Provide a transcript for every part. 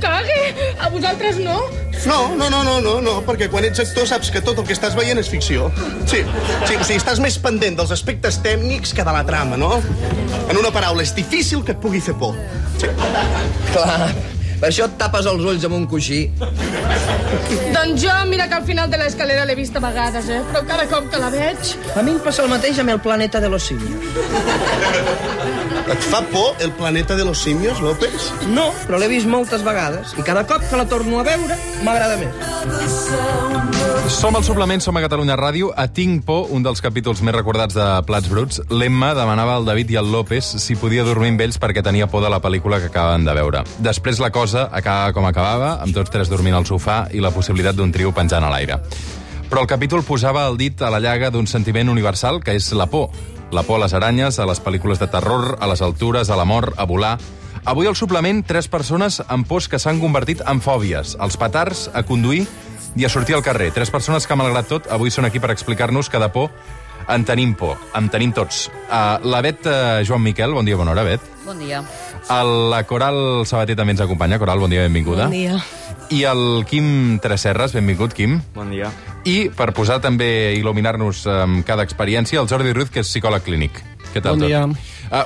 cague! A vosaltres no? No, perquè quan ets actor saps que tot el que estàs veient és ficció. Sí, o sigui, estàs més pendent dels aspectes tècnics que de la trama, no? En una paraula, és difícil que et pugui fer por. Sí. Clar, per això et tapes els ulls amb un coixí. Doncs jo, mira que al final de l'escalera l'he vist a vegades, però cada cop que la veig... A mi em passa el mateix amb el planeta de los simios. Et fa por el planeta de los simios, López? No, però l'he vist moltes vegades i cada cop que la torno a veure m'agrada més. Som al suplement, som a Catalunya Ràdio. A Tinc por, un dels capítols més recordats de Plats Bruts, l'Emma demanava al David i al López si podia dormir amb ells perquè tenia por de la pel·lícula que acaben de veure. Després la cosa acabava com acabava, amb tots tres dormint al sofà i la possibilitat d'un trio penjant a l'aire. Però el capítol posava el dit a la llaga d'un sentiment universal, que és la por. La por a les aranyes, a les pel·lícules de terror, a les altures, a la mort, a volar. Avui al suplement, 3 persones amb pors que s'han convertit en fòbies. Els petards, a conduir i a sortir al carrer. 3 persones que, malgrat tot, avui són aquí per explicar-nos que de por en tenim por. En tenim tots. La Bet Joan Miquel, bon dia, bona hora, Bet. Bon dia. La Coral Sabater també ens acompanya. Coral, bon dia, benvinguda. Bon dia. I el Quim Tresserras, benvingut, Quim. Bon dia. I, per posar també, il·luminar-nos amb cada experiència, el Jordi Ruiz, que és psicòleg clínic. Què tal, bon dia.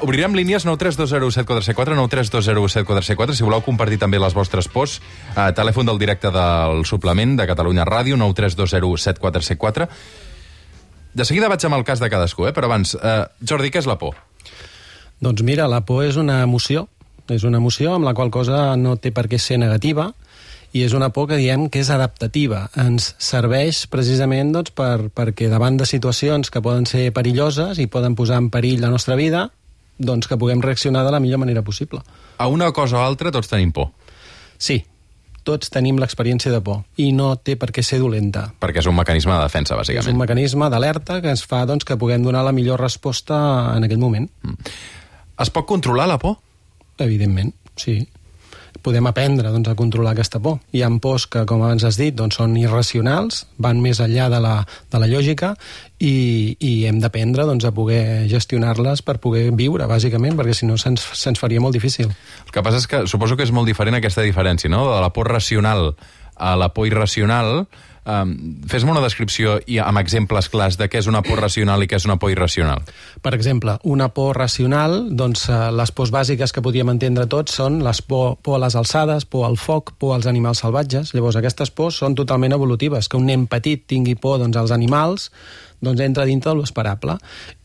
Obrirem línies 9320747, 9320747, si voleu compartir també les vostres pors. Telèfon del directe del suplement de Catalunya Ràdio, 9320747. De seguida vaig amb el cas de cadascú, però abans, Jordi, què és la por? Doncs mira, la por és una emoció. És una emoció amb la qual cosa no té per què ser negativa, i és una por que diem que és adaptativa. Ens serveix precisament doncs, perquè davant de situacions que poden ser perilloses i poden posar en perill la nostra vida, doncs que puguem reaccionar de la millor manera possible. A una cosa o altra tots tenim por. Sí, tots tenim l'experiència de por i no té per què ser dolenta. Perquè és un mecanisme de defensa, bàsicament. És un mecanisme d'alerta que ens fa doncs, que puguem donar la millor resposta en aquell moment. Es pot controlar la por? Evidentment, sí. Podem aprendre doncs, a controlar aquesta por. Hi ha pors que, com abans has dit, doncs, són irracionals, van més enllà de la lògica i hem d'aprendre doncs, a poder gestionar-les per poder viure, bàsicament, perquè si no se'ns faria molt difícil. El que passa és que suposo que és molt diferent aquesta diferència, no? De la por racional a la por irracional. Fes-me una descripció i amb exemples clars de què és una por racional i què és una por irracional. Per exemple, una por racional, doncs les pors bàsiques que podríem entendre tots són les por a les alçades, por al foc, por als animals salvatges. Llavors aquestes pors són totalment evolutives. Que un nen petit tingui por doncs, als animals doncs entra dintre de l'esperable,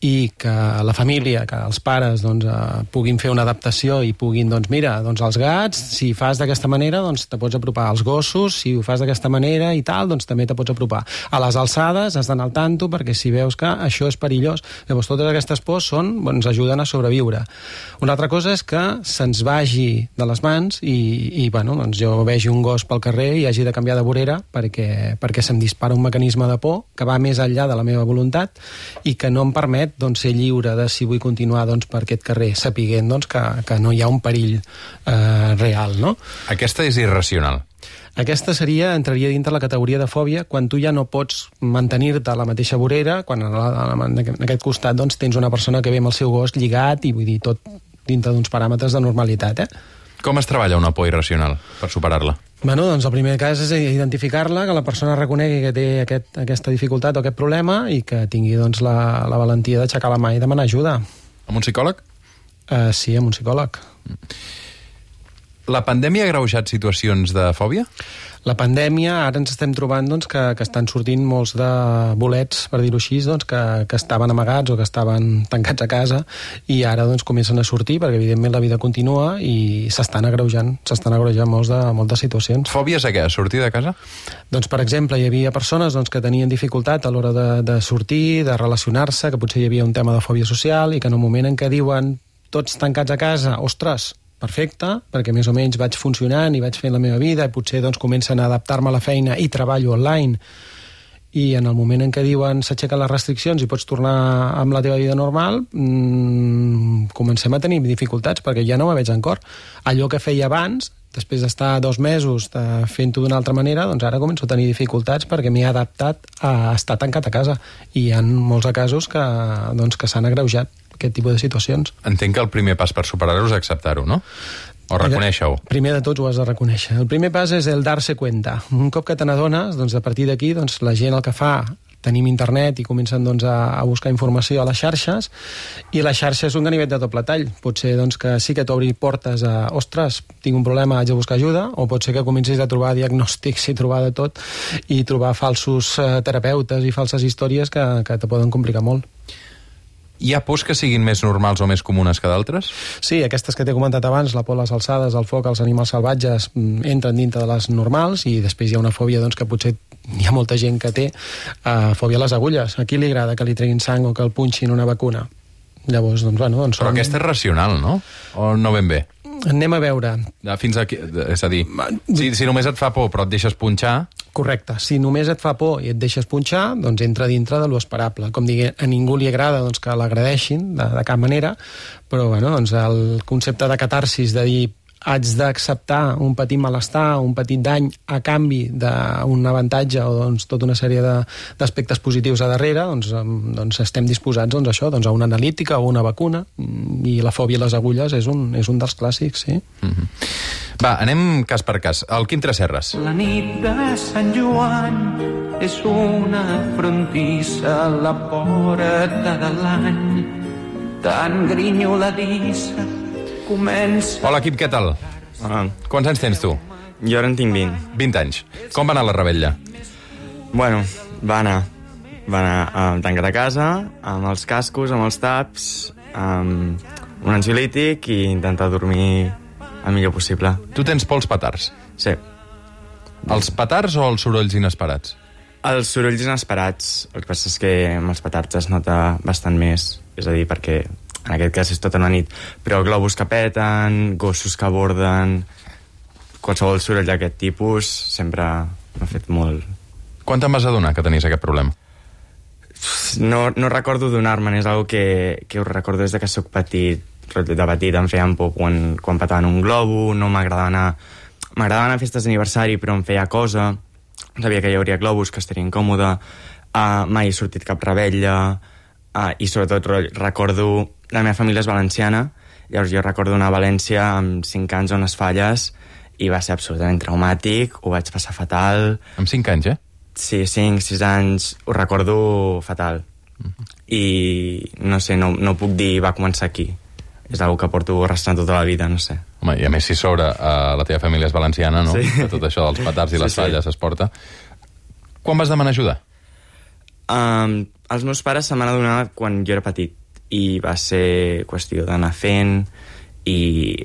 i que la família, que els pares doncs, puguin fer una adaptació i puguin, doncs mira, doncs els gats, si fas d'aquesta manera, doncs te pots apropar. Als gossos, si ho fas d'aquesta manera i tal, doncs també te pots apropar. A les alçades has d'anar al tanto perquè si veus que això és perillós. Llavors totes aquestes pors ens ajuden a sobreviure. Una altra cosa és que se'ns vagi de les mans i bueno, doncs jo vegi un gos pel carrer i hagi de canviar de vorera perquè se'm dispara un mecanisme de por que va més enllà de la meva voluntat i que no em permet doncs, ser lliure de si vull continuar doncs, per aquest carrer, sapiguent doncs, que no hi ha un perill real, no? Aquesta és irracional. Aquesta entraria dintre la categoria de fòbia quan tu ja no pots mantenir-te a la mateixa vorera, quan en aquest costat doncs, tens una persona que ve amb el seu gos lligat i vull dir tot dintre d'uns paràmetres de normalitat. Com es treballa una por irracional per superar-la? Bueno, doncs el primer cas és identificar-la, que la persona reconegui que té aquesta dificultat o aquest problema i que tingui doncs, la valentia d'aixecar la mà i demanar ajuda. Amb un psicòleg? Sí, amb un psicòleg. La pandèmia ha agreujat situacions de fòbia? La pandèmia, ara ens estem trobant doncs, que estan sortint molts de bolets, per dir-ho així, doncs, que estaven amagats o que estaven tancats a casa i ara doncs, comencen a sortir perquè evidentment la vida continua i s'estan agreujant moltes situacions. Fòbies a què? A sortir de casa? Doncs, per exemple, hi havia persones doncs, que tenien dificultat a l'hora de sortir, de relacionar-se, que potser hi havia un tema de fòbia social i que en un moment en què diuen tots tancats a casa, ostres, perfecte, perquè més o menys vaig funcionant i vaig fent la meva vida i potser doncs, comencen a adaptar-me a la feina i treballo online i en el moment en què diuen s'aixequen les restriccions i pots tornar amb la teva vida normal, comencem a tenir dificultats perquè ja no me veig en cor. Allò que feia abans, després d'estar 2 mesos fent-ho d'una altra manera, doncs ara començo a tenir dificultats perquè m'he adaptat a estar tancat a casa i hi ha molts casos que s'han agreujat aquest tipus de situacions. Entenc que el primer pas per superar-ho és acceptar-ho, no? O reconèixer-ho? Primer de tots ho has de reconèixer. El primer pas és el darse cuenta. Un cop que te n'adones, doncs a partir d'aquí la gent el que fa, tenim internet i comencen a buscar informació a les xarxes, i la xarxa és un ganivet de doble tall. Pot ser que sí que t'obri portes a ostres, tinc un problema, haig de buscar ajuda, o pot ser que comencis a trobar diagnòstics i trobar de tot, i trobar falsos terapeutes i falses històries que te poden complicar molt. Hi ha pors que siguin més normals o més comunes que d'altres? Sí, aquestes que t'he comentat abans, la por a les alçades, el foc, els animals salvatges, entren dintre de les normals, i després hi ha una fòbia que potser hi ha molta gent que té, fòbia a les agulles. A qui li agrada que li treguin sang o que el punxin una vacuna? Llavors, Però aquesta és racional, no? O no ben bé? Anem a veure. Fins aquí, és a dir, si només et fa por però et deixes punxar... Correcte. Si només et fa por i et deixes punxar, doncs entra dintre de lo esperable. Com digui, a ningú li agrada que l'agredeixin de cap manera, però el concepte de catarsis, de dir haig d'acceptar un petit malestar, un petit dany a canvi d'un avantatge o tota una sèrie d'aspectes positius a darrere, doncs estem disposats a això, a una analítica o una vacuna, i la fòbia a les agulles és un dels clàssics, sí. Va, anem cas per cas. El Quim Tresserras. La nit de Sant Joan és una frontissa a la porta de l'any, tan grinyoladissa comença... Hola, Quim, què tal? Quants anys tens tu? Jo ara en tinc 20. 20 anys. Com va anar la rebella? Bueno, va anar tancat a casa, amb els cascos, amb els taps, amb un ansiolític i intentar dormir el millor possible. Tu tens por als petards? Sí. Els petards o els sorolls inesperats? Els sorolls inesperats. El que passa és que amb els petards es nota bastant més. És a dir, perquè en aquest cas és tota una nit. Però globus que peten, gossos que borden... Qualsevol soroll d'aquest tipus sempre m'ha fet molt... Quan te'n vas adonar que tenies aquest problema? No recordo donar-me'n, és una que ho recordo des que soc petit. De petit em feien por quan petaven un globo, no m'agradava anar... M'agradava anar a festes d'aniversari, però em feia cosa. Sabia que hi hauria globus, que estaria incòmode. Mai he sortit cap rebella. I sobretot recordo... La meva família és valenciana, llavors jo recordo anar a València amb 5 anys a unes falles i va ser absolutament traumàtic, ho vaig passar fatal. Amb 5 anys, Sí, 5, 6 anys, ho recordo fatal. I no sé, no puc dir va començar aquí. És una que porto arrastrant tota la vida, no sé. Home, i a més si sobre la teva família és valenciana, no? Sí. Que tot això dels petards i les falles es porta. Quan vas demanar ajuda? Els meus pares se m'han adonat quan jo era petit i va ser qüestió d'anar fent i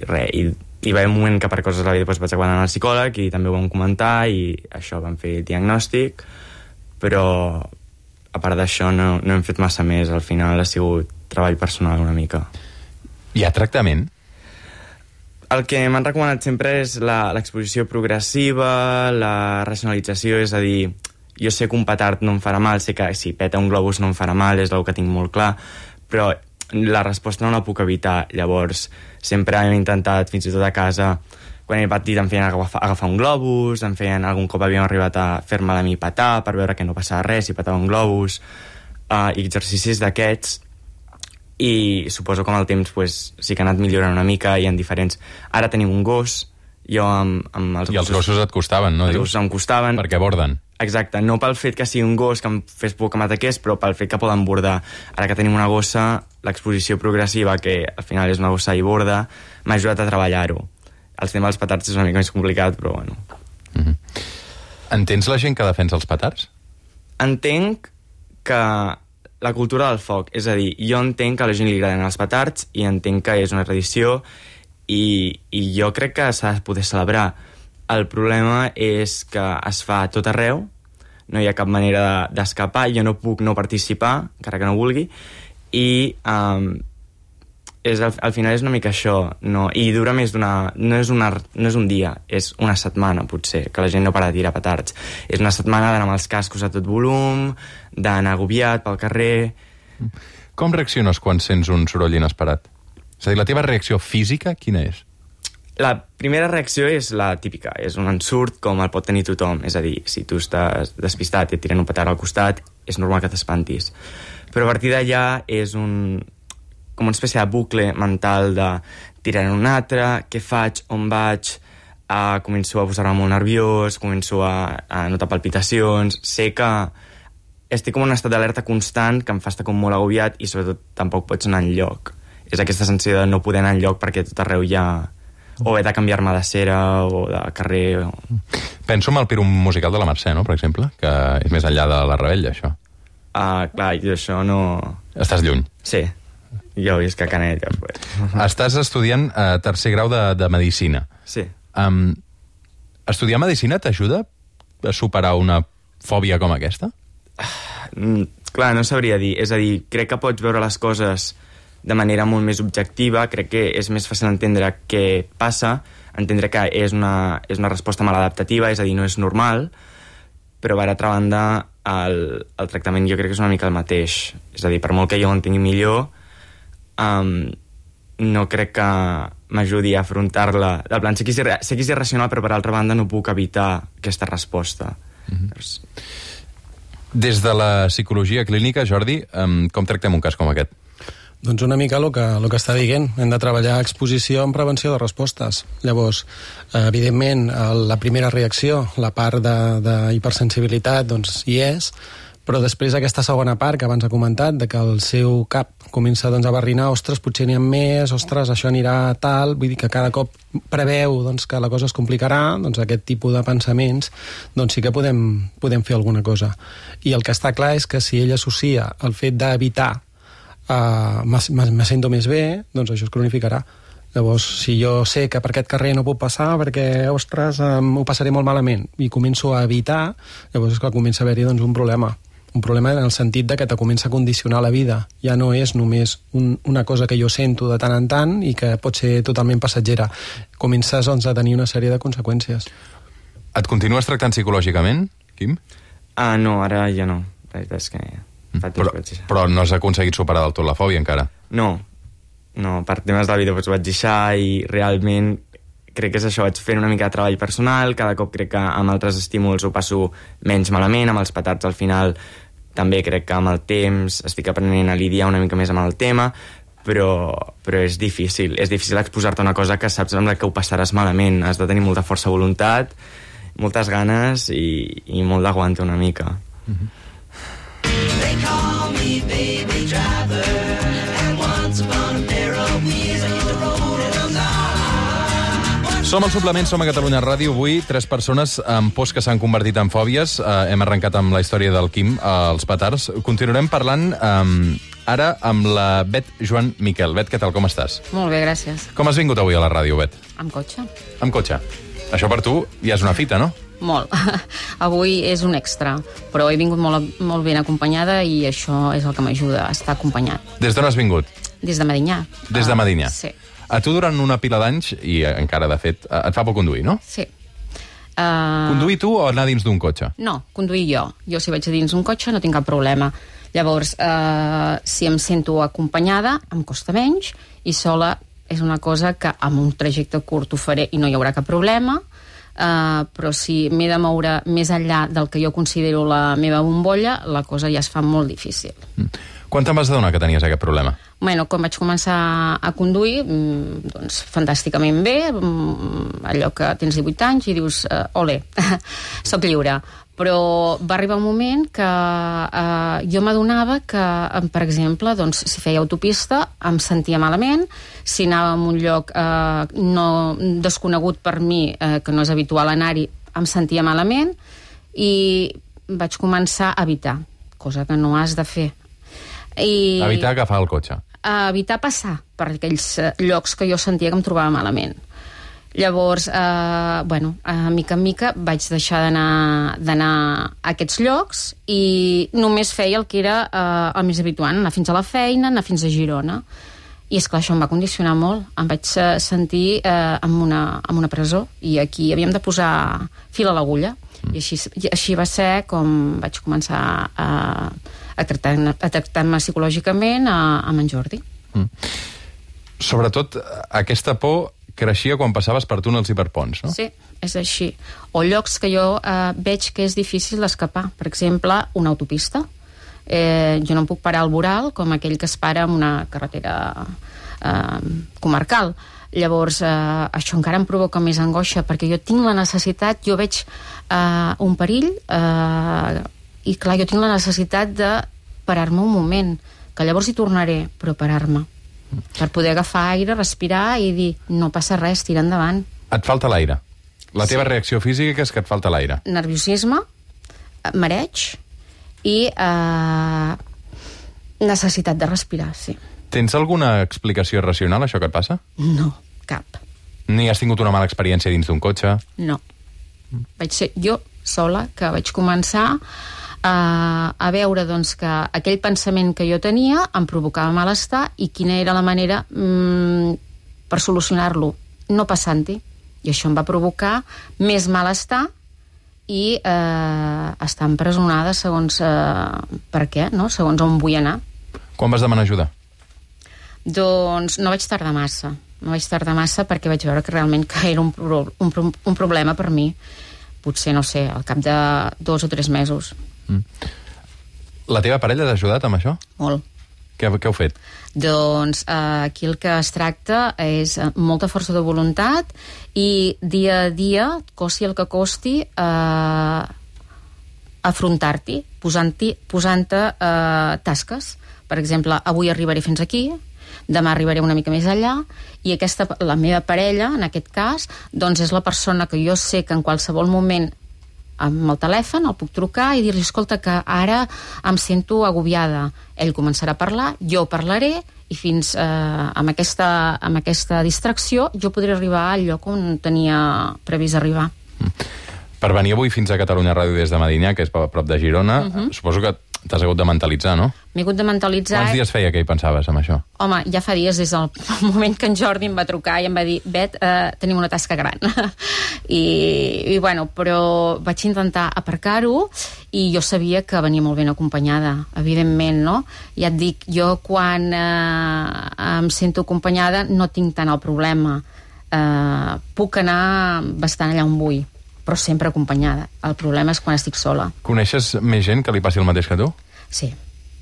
res, i va haver un moment que per coses de la vida vaig acabar anant al psicòleg i també ho vam comentar i això, vam fer diagnòstic, però a part d'això no hem fet massa més. Al final ha sigut treball personal una mica. Hi ha tractament? El que m'han recomanat sempre és l'exposició progressiva, la racionalització, és a dir, jo sé que un petard no em farà mal, sé que si peta un globus no em farà mal, és el que tinc molt clar, però la resposta no la puc evitar. Llavors sempre hem intentat, fins i tot a casa, quan era petit em feien agafar un globus, algun cop havíem arribat a fer-me a mi petar per veure que no passava res si petava un globus, i exercicis d'aquests, i suposo que amb el temps sí que ha anat millorant una mica i en diferents... Ara tenim un gos, jo amb els gossos... I els gossos et costaven, no? Els gossos em costaven. Perquè borden. Exacte, no pel fet que sigui un gos que em fes por que m'ataqués, però pel fet que poden bordar. Ara que tenim una gossa, l'exposició progressiva, que al final és una gossa i borda, m'ha ajudat a treballar-ho. El tema dels petards és una mica més complicat, però bueno. Entens la gent que defensa els petards? Entenc que la cultura del foc, és a dir, jo entenc que a la gent li agraden els petards i entenc que és una tradició i jo crec que s'ha de poder celebrar. El problema és que es fa a tot arreu, no hi ha cap manera d'escapar, jo no puc no participar, encara que no vulgui, i al final és una mica això, no? I dura més no és un dia, és una setmana, potser, que la gent no para de tirar petards. És una setmana d'anar amb els cascos a tot volum, d'anar agobiat pel carrer... Com reacciones quan sents un soroll inesperat? És a dir, la teva reacció física, quina és? La primera reacció és la típica, és un ensurt com el pot tenir tothom, és a dir, si tu estàs despistat i et tiren un petard al costat, és normal que t'espantis. Però a partir d'allà és un com una espècie de bucle mental de tirar en un altre, què faig, on vaig, començo a posar-me molt nerviós, començo a notar palpitacions, sé que estic com en un estat d'alerta constant que em fa estar com molt agobiat i sobretot tampoc pots anar enlloc. És aquesta sensació de no poder anar enlloc perquè tot arreu hi ha... o he de canviar-me de cera o de carrer... Penso en el Pirum musical de la Mercè, no?, per exemple, que és més enllà de la Rebella, això. Clar, jo això no... Estàs lluny. Sí, jo visc a Canet. Pues. Estàs estudiant tercer grau de Medicina. Sí. Estudiar Medicina t'ajuda a superar una fòbia com aquesta? Clar, no sabria dir. És a dir, crec que pots veure les coses de manera molt més objectiva, crec que és més fàcil entendre què passa, entendre que és una resposta maladaptativa, és a dir, no és normal, però per altra banda el tractament jo crec que és una mica el mateix. És a dir, per molt que jo ho entengui millor, no crec que m'ajudi a afrontar-la. Del plan, sé que és irracional, però per altra banda no puc evitar aquesta resposta. Des de la psicologia clínica, Jordi, com tractem un cas com aquest? Doncs una mica el que està dient. Hem de treballar exposició en prevenció de respostes. Llavors, evidentment, la primera reacció, la part d'hipersensibilitat, doncs hi és, però després aquesta segona part que abans ha comentat, de que el seu cap comença doncs, a barrinar, ostres, potser n'hi ha més, ostres, això anirà tal, vull dir que cada cop preveu doncs, que la cosa es complicarà, doncs aquest tipus de pensaments, doncs sí que podem fer alguna cosa. I el que està clar és que si ell associa el fet d'evitar me sento més bé, doncs això es cronificarà. Llavors, si jo sé que per aquest carrer no puc passar perquè, ostres, ho passaré molt malament i començo a evitar, llavors és que comença a haver-hi doncs, un problema en el sentit de que te comença a condicionar la vida. Ja no és només una cosa que jo sento de tant en tant i que pot ser totalment passatgera. Comences doncs, a tenir una sèrie de conseqüències. Et continues tractant psicològicament, Quim? No, ara ja no. La veritat és que... Però no has aconseguit superar del tot la fòbia encara? No, per temes de la vida vaig deixar i realment crec que és això, vaig fent una mica de treball personal, cada cop crec que amb altres estímuls ho passo menys malament, amb els petards al final també crec que amb el temps estic aprenent a lidiar una mica més amb el tema, però és difícil exposar-te a una cosa que saps amb la que ho passaràs malament, has de tenir molta força de voluntat, moltes ganes i molt d'aguantar una mica. They call me baby driver, and once upon a pair of wheels I hit the road and I'm Som al Suplement, som a Catalunya Ràdio. Avui, 3 persones amb pors que s'han convertit en fòbies. Hem arrencat amb la història del Quim, els petards. Continuarem parlant ara amb la Bet Joan Miquel. Bet, què tal, com estàs? Molt bé, gràcies. Com has vingut avui a la ràdio, Bet? Amb cotxe. Amb cotxe. Això per tu ja és una fita, no? Molt. Avui és un extra, però he vingut molt ben acompanyada i això és el que m'ajuda a estar acompanyat. Des d'on has vingut? Des de Medinyà. Des de Medinyà? Sí. A tu durant una pila d'anys, i encara de fet, et fa por conduir, no? Sí. Conduir tu o anar dins d'un cotxe? No, conduir jo. Jo si vaig a dins un cotxe no tinc cap problema. Llavors, si em sento acompanyada, em costa menys, i sola és una cosa que amb un trajecte curt ho faré i no hi haurà cap problema, però si m'he de moure més enllà del que jo considero la meva bombolla, la cosa ja es fa molt difícil. Quan te'n vas adonar que tenies aquest problema? Bueno, quan vaig començar a conduir, doncs fantàsticament bé, allò que tens 18 anys i dius, ole, soc lliure. Però va arribar un moment que jo m'adonava que, per exemple, doncs, si feia autopista em sentia malament, si anava a un lloc desconegut per mi, que no és habitual anar-hi, em sentia malament i vaig començar a evitar, cosa que no has de fer. Evitar agafar el cotxe. Evitar passar per aquells llocs que jo sentia que em trobava malament. Llavors, mica en mica vaig deixar d'anar a aquests llocs i només feia el que era el més habitual, anar fins a la feina, anar fins a Girona. I és clar, això em va condicionar molt. Em vaig sentir en una presó i aquí havíem de posar fil a l'agulla. I així va ser com vaig començar a tractar-me psicològicament amb en Jordi. Sobretot, aquesta por creixia quan passaves per túnels i per ponts, no? Sí, és així. O llocs que jo veig que és difícil d'escapar. Per exemple, una autopista. Jo no em puc parar al voral com aquell que es para en una carretera comarcal. Llavors, això encara em provoca més angoixa, perquè jo tinc la necessitat, jo veig un perill, i clar, jo tinc la necessitat de parar-me un moment, que llavors hi tornaré, però parar-me, per poder agafar aire, respirar i dir, no passa res, tira endavant. Et falta l'aire. La teva reacció física és que et falta l'aire. Nerviosisme, mareig i necessitat de respirar, sí. Tens alguna explicació racional, això que et passa? No, cap. Ni has tingut una mala experiència dins d'un cotxe? No. Vaig ser jo sola que vaig començar a veure doncs, que aquell pensament que jo tenia em provocava malestar i quina era la manera per solucionar-lo, no passant-hi. I això em va provocar més malestar i estar empresonada segons per què, no? Segons on vull anar. Quan vas demanar ajuda? Doncs no vaig tardar massa. No vaig tardar massa perquè vaig veure que realment que era un problema per mi. Potser, no sé, al cap de 2 o 3 mesos. La teva parella t'ha ajudat amb això? Molt. Què heu fet? Doncs aquí el que es tracta és molta força de voluntat i dia a dia, costi el que costi, afrontar-t'hi, posant-te tasques. Per exemple, avui arribaré fins aquí, demà arribaré una mica més allà, i la meva parella, en aquest cas, doncs és la persona que jo sé que en qualsevol moment amb el telèfon el puc trucar i dir-li, escolta, que ara em sento agobiada. Ell començarà a parlar, jo parlaré, i fins amb aquesta distracció jo podré arribar al lloc on tenia previst arribar. Per venir avui fins a Catalunya Ràdio des de Medinyà, que és a prop de Girona, suposo que t'has hagut de mentalitzar, no? M'he hagut de mentalitzar... Quants dies feia que hi pensaves, amb això? Home, ja fa dies, des del moment que en Jordi em va trucar i em va dir, Bet, tenim una tasca gran. I bueno, però vaig intentar aparcar-ho i jo sabia que venia molt ben acompanyada, evidentment, no? Ja et dic, jo quan em sento acompanyada no tinc tant el problema. Puc anar bastant allà on vull, però sempre acompanyada. El problema és quan estic sola. Coneixes més gent que li passi el mateix que tu? Sí.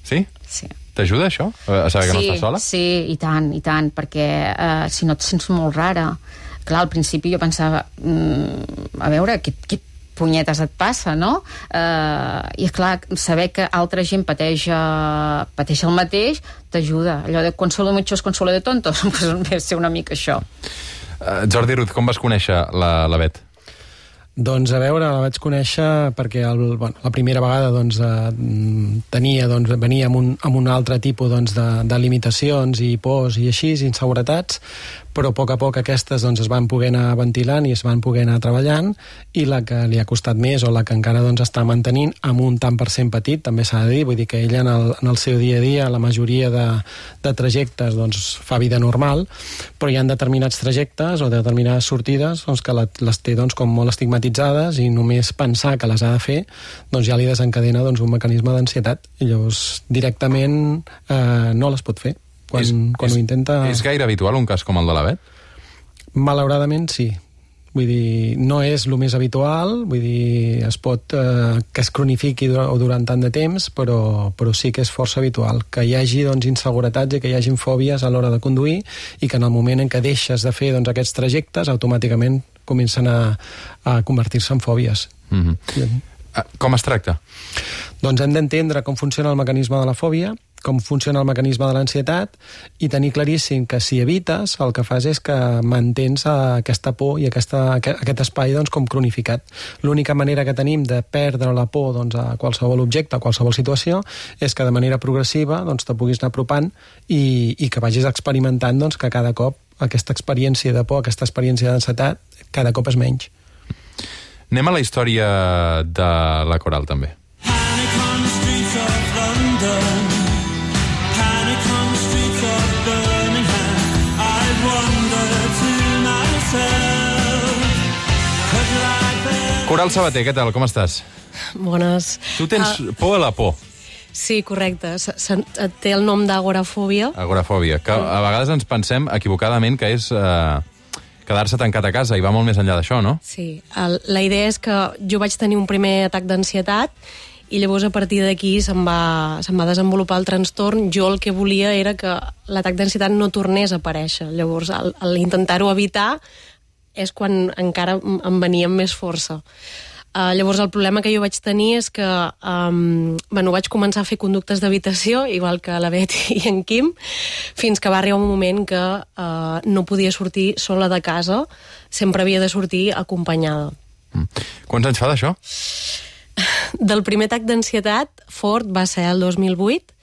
Sí? Sí. T'ajuda això? A saber que no estàs sola? Sí, i tant, perquè si no et sents molt rara. Clar, al principi jo pensava, a veure, què punyetes et passa, no? I clar, saber que altra gent pateix el mateix t'ajuda. Allò de consuelo muchos, consuelo de tontos, doncs ve ser una mica això. Jordi Ruth, com vas conèixer la Bet? Doncs a veure, la vaig conèixer perquè la primera vegada venia amb un altre tipus de limitacions i pors i així, inseguretats, però a poc aquestes es van poder anar ventilant i es van poder anar treballant, i la que li ha costat més o la que encara està mantenint amb un tant per cent petit, també s'ha de dir, vull dir que ella en el seu dia a dia, la majoria de trajectes fa vida normal, però hi ha determinats trajectes o determinades sortides que les té com molt estigmatitzades, i només pensar que les ha de fer ja li desencadena un mecanisme d'ansietat, i llavors directament no les pot fer. Quan ho intenta... És gaire habitual un cas com el de la Bet? Malauradament sí. Vull dir, no és el més habitual, vull dir, es pot que es cronifiqui durant tant de temps, però sí que és força habitual que hi hagi inseguretats i que hi hagi fòbies a l'hora de conduir, i que en el moment en què deixes de fer aquests trajectes automàticament comencen a convertir-se en fòbies. Com es tracta? Doncs hem d'entendre com funciona el mecanisme de la fòbia, com funciona el mecanisme de l'ansietat, i tenir claríssim que si evites, el que fas és que mantens aquesta por i aquest espai com cronificat. L'única manera que tenim de perdre la por a qualsevol objecte, a qualsevol situació, és que de manera progressiva te puguis anar apropant i que vagis experimentant que cada cop aquesta experiència de por, aquesta experiència d'ansietat, cada cop és menys. Anem a la història de la Coral, també. Coral Sabater, què tal? Com estàs? Bones. Tu tens por a la por. Sí, correcte. Té el nom d'agorafòbia. Agorafòbia, que a vegades ens pensem equivocadament que és quedar-se tancat a casa, i va molt més enllà d'això, no? Sí. La idea és que jo vaig tenir un primer atac d'ansietat i llavors a partir d'aquí se'm va desenvolupar el trastorn. Jo el que volia era que l'atac d'ansietat no tornés a aparèixer. Llavors, al intentar-ho evitar és quan encara em venia amb més força. Llavors el problema que jo vaig tenir és que vaig començar a fer conductes d'habitació, igual que la Betty i en Quim, fins que va arribar un moment que no podia sortir sola de casa, sempre havia de sortir acompanyada. Quants anys fa d'això? Del primer atac d'ansietat fort va ser el 2008,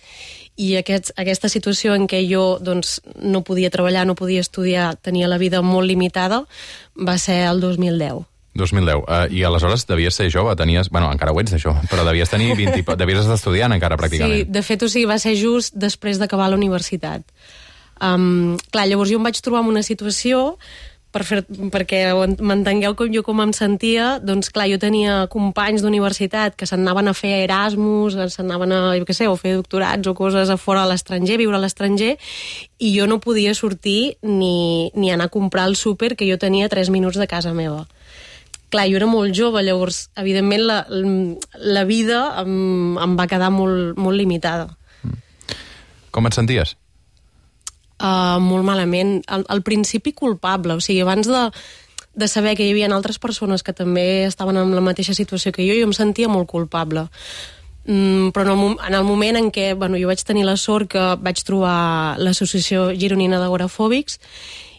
i aquesta situació en què jo doncs, no podia treballar, no podia estudiar, tenia la vida molt limitada, va ser el 2010. 2010. I aleshores devies ser jove, tenies... Bueno, encara ho ets, això, però devies tenir 20... Devies estar estudiant encara, pràcticament. Sí, de fet, va ser just després d'acabar la universitat. Clar, llavors jo em vaig trobar en una situació, perquè m'entengueu com em sentia, doncs clar, jo tenia companys d'universitat que s'anaven a fer Erasmus, s'anaven a, jo què sé, o fer doctorats o coses a fora a l'estranger, viure a l'estranger, i jo no podia sortir ni anar a comprar el súper, que jo tenia 3 minuts de casa meva. Clar, jo era molt jove, llavors, evidentment, la vida em va quedar molt limitada. Com et senties? Molt malament. Al principi culpable, o sigui, abans de saber que hi havia altres persones que també estaven en la mateixa situació que jo em sentia molt culpable. Però en el moment en què jo vaig tenir la sort que vaig trobar l'associació gironina d'agorafòbics,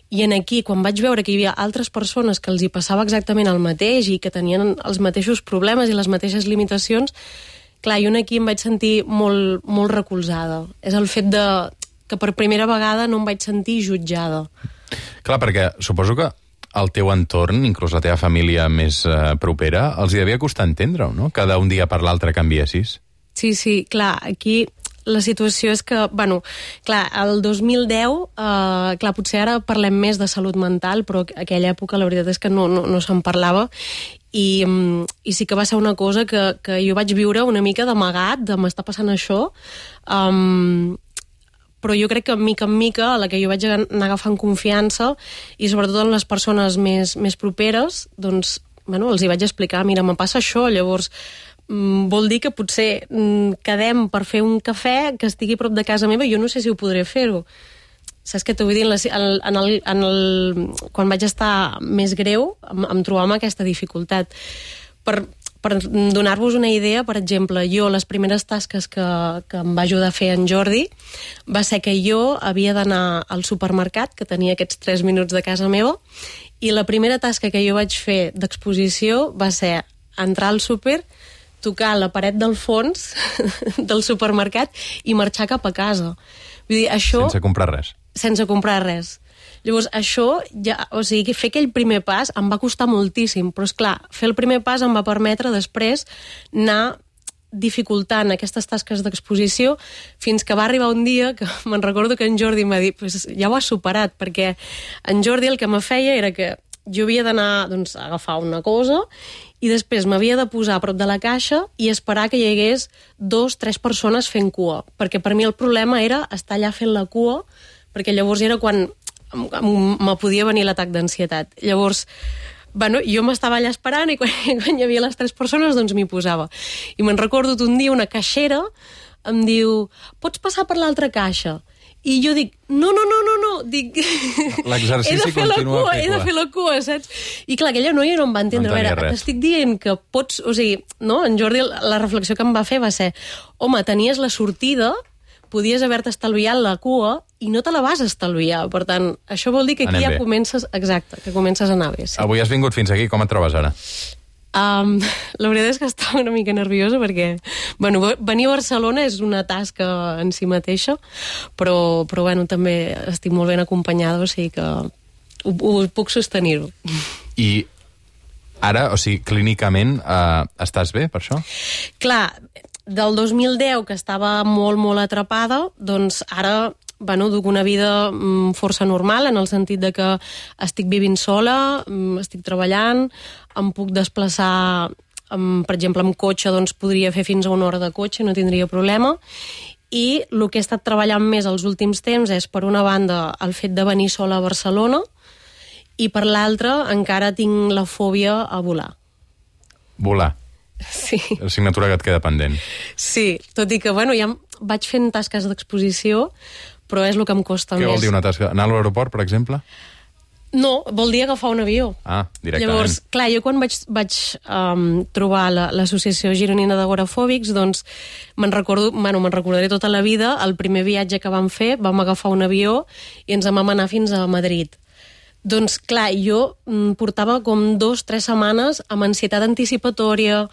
i aquí, quan vaig veure que hi havia altres persones que els hi passava exactament el mateix i que tenien els mateixos problemes i les mateixes limitacions, clar, jo aquí em vaig sentir molt, molt recolzada. És el fet que per primera vegada no em vaig sentir jutjada. Clar, perquè suposo que el teu entorn, inclús la teva família més propera, els hi devia costar entendre-ho, no? Que d'un dia per l'altre canviessis. Sí, clar, aquí la situació és que, clar, el 2010, clar, potser ara parlem més de salut mental, però aquella època la veritat és que no se'n parlava, i sí que va ser una cosa que jo vaig viure una mica d'amagat, de m'està passant això, però jo crec que mica en mica, a la que jo vaig anar agafant confiança, i sobretot en les persones més properes, doncs, els hi vaig explicar, mira, me passa això, llavors vol dir que potser quedem per fer un cafè que estigui a prop de casa meva, jo no sé si ho podré fer-ho. Saps què t'ho vull dir? Quan vaig estar més greu, em trobava amb aquesta dificultat. Per donar-vos una idea, per exemple, jo les primeres tasques que em va ajudar a fer en Jordi va ser que jo havia d'anar al supermercat, que tenia aquests 3 minuts de casa meva, i la primera tasca que jo vaig fer d'exposició va ser entrar al súper, tocar la paret del fons del supermercat i marxar cap a casa. Vull dir, això... Sense comprar res. Sense comprar res. Llavors, això, o sigui, fer aquell primer pas em va costar moltíssim, però, esclar, fer el primer pas em va permetre després anar dificultant aquestes tasques d'exposició fins que va arribar un dia que me'n recordo que en Jordi em va dir, pues ja ho has superat, perquè en Jordi el que me feia era que jo havia d'anar a agafar una cosa i després m'havia de posar a prop de la caixa i esperar que hi hagués 2-3 persones fent cua, perquè per mi el problema era estar allà fent la cua, perquè llavors era quan me podia venir l'atac d'ansietat. Llavors, jo m'estava allà esperant i quan hi havia les 3 persones doncs m'hi posava. I me'n recordo un dia una caixera em diu, pots passar per l'altra caixa? I jo dic, no, dic... L'exercici continua he de fer la cua, saps? I clar, aquella noia no em va entendre. No a veure, t'estic dient que pots... O sigui, no? En Jordi, la reflexió que em va fer va ser, home, tenies la sortida, podies haver-te estalviat la cua i no te la vas estalviar. Per tant, això vol dir que aquí ja comences... Exacte, que comences a anar bé. Sí. Avui has vingut fins aquí, com et trobes ara? La veritat és que estava una mica nerviosa perquè venir a Barcelona és una tasca en si mateixa, però també estic molt ben acompanyada, o sigui que ho puc sostenir-ho. I ara, o sigui, clínicament estàs bé per això? Clar, del 2010 que estava molt, molt atrapada, doncs ara duc una vida força normal, en el sentit de que estic vivint sola, estic treballant, em puc desplaçar, per exemple, amb cotxe, doncs podria fer fins a 1 hora de cotxe, no tindria problema, i el que he estat treballant més els últims temps és, per una banda, el fet de venir sola a Barcelona, i per l'altra, encara tinc la fòbia a volar. Volar? Sí. Assignatura que et queda pendent. Sí, tot i que, bueno, ja vaig fent tasques d'exposició, però és el que em costa Què més. vol dir una tasca? Anar a l'aeroport, per exemple? No, vol dir agafar un avió. Ah, directament. Llavors, clar, jo quan vaig trobar l'Associació Gironina d'Agorafòbics, doncs me'n recordaré tota la vida. El primer viatge que vam fer, vam agafar un avió i ens vam anar fins a Madrid. Doncs, clar, jo portava com 2-3 setmanes amb ansietat anticipatòria,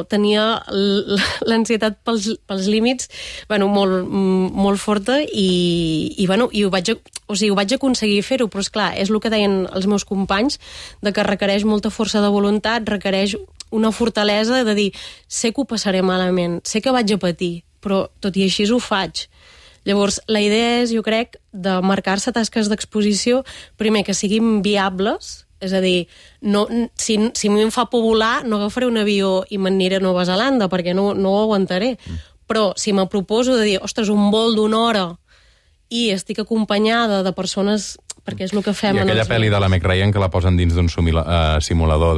tenia l'ansietat pels límits molt forta i ho vaig aconseguir fer-ho, però esclar, és el que deien els meus companys, de que requereix molta força de voluntat, requereix una fortalesa de dir, sé que ho passaré malament, sé que vaig a patir, però tot i així ho faig. Llavors, la idea és, jo crec, de marcar-se tasques d'exposició, primer que siguin viables, és a dir, si a mi em fa por volar, no agafaré un avió i m'aniré a Nova Zelanda, perquè no ho aguantaré. Però si me proposo de dir, ostres, un vol d'1 hora i estic acompanyada de persones, perquè és el que fem... I aquella pel·li de la Meg Ryan que la posen dins d'un simulador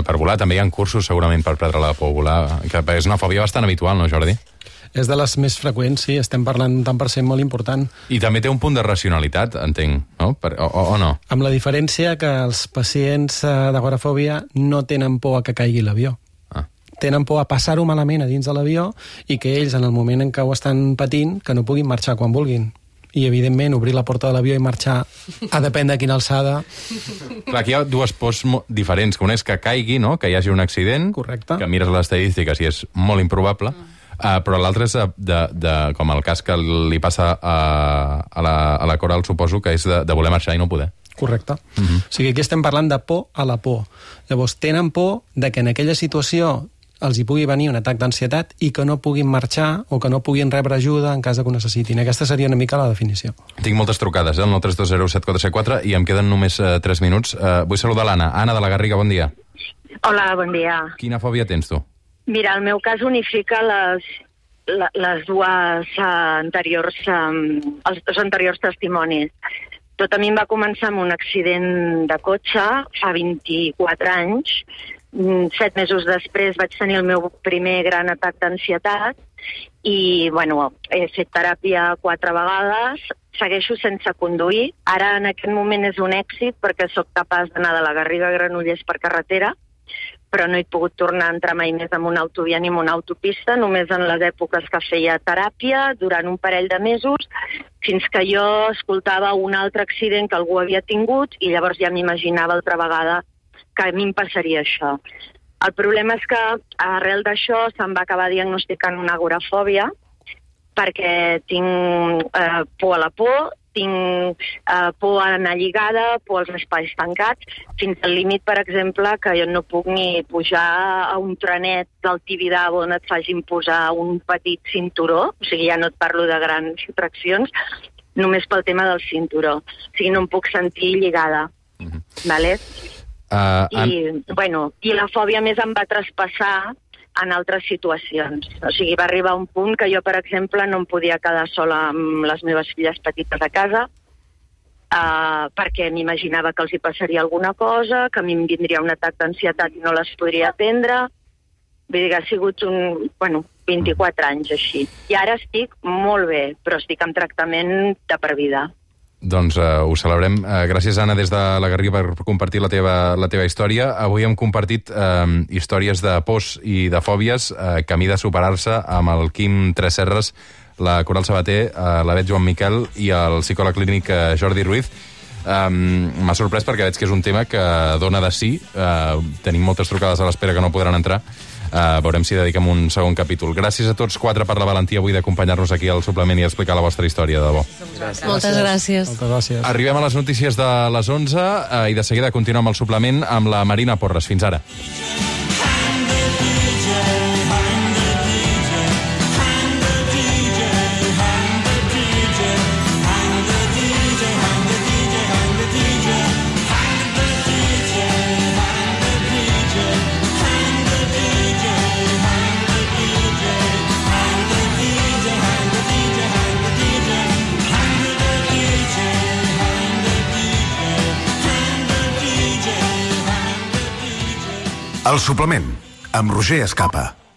per volar, també hi ha cursos segurament per perdre la por a volar, que és una fòbia bastant habitual, no, Jordi? És de les més freqüents, sí, estem parlant d'un tant per cent molt important. I també té un punt de racionalitat, entenc, no? O no? Amb la diferència que els pacients d'agorafòbia no tenen por a que caigui l'avió. Tenen por a passar-ho malament a dins de l'avió i que ells, en el moment en què ho estan patint, que no puguin marxar quan vulguin. I, evidentment, obrir la porta de l'avió i marxar a depèn de quina alçada... Clar, aquí hi ha dues pors diferents, que una és que caigui, no? Que hi hagi un accident, correcte, que mires les estadístiques i és molt improbable, però l'altre és com el cas que li passa a la Coral, suposo, que és de voler marxar i no poder. Correcte. O sigui, aquí estem parlant de por a la por. Llavors, tenen por de que en aquella situació els hi pugui venir un atac d'ansietat i que no puguin marxar o que no puguin rebre ajuda en cas que ho necessitin. Aquesta seria una mica la definició. Tinc moltes trucades, el 932074474, i em queden només 3 minuts. Vull saludar l'Anna. Anna de la Garriga, bon dia. Hola, bon dia. Quina fòbia tens tu? Mira, el meu cas unifica les dues anteriors, els dos anteriors testimonis. Tot a mi em va començar amb un accident de cotxe fa 24 anys. 7 mesos després vaig tenir el meu primer gran atac d'ansietat i, he fet teràpia 4 vegades, segueixo sense conduir. Ara, en aquest moment, és un èxit perquè sóc capaç d'anar de la Garriga a Granollers per carretera, però no he pogut tornar a entrar mai més en una autovia ni en una autopista, només en les èpoques que feia teràpia, durant un parell de mesos, fins que jo escoltava un altre accident que algú havia tingut i llavors ja m'imaginava altra vegada que a mi em passaria això. El problema és que arrel d'això se'm va acabar diagnosticant una agorafòbia perquè tinc por a la por, tinc por a anar lligada, por als espais tancats, fins al límit, per exemple, que jo no puc ni pujar a un trenet del Tibidabo on et facin posar un petit cinturó, o sigui, ja no et parlo de grans atraccions, només pel tema del cinturó. O sigui, no em puc sentir lligada. Vale? I la fòbia més em va traspassar en altres situacions. O sigui, va arribar un punt que jo, per exemple, no em podia quedar sola amb les meves filles petites a casa perquè m'imaginava que els hi passaria alguna cosa, que a mi em vindria un atac d'ansietat i no les podria atendre. Vull dir que ha sigut 24 anys així. I ara estic molt bé, però estic en tractament de per vida. Doncs ho celebrem. Gràcies, Anna, des de la Garriga per compartir la teva història. Avui hem compartit històries de pors i de fòbies, camí de superar-se amb el Quim Tresserres, la Coral Sabater, la Bet Joan Miquel i el psicòleg clínic Jordi Ruiz. M'ha sorprès perquè veig que és un tema que dona de sí. Tenim moltes trucades a l'espera que no podran entrar. Veurem si dediquem un segon capítol. Gràcies a tots 4 per la valentia avui d'acompanyar-nos aquí al suplement i explicar la vostra història, de debò. Moltes gràcies. Moltes gràcies. Arribem a les notícies de les 11 i de seguida continuem amb el suplement amb la Marina Porres. Fins ara. El suplement, amb Roger Escapa.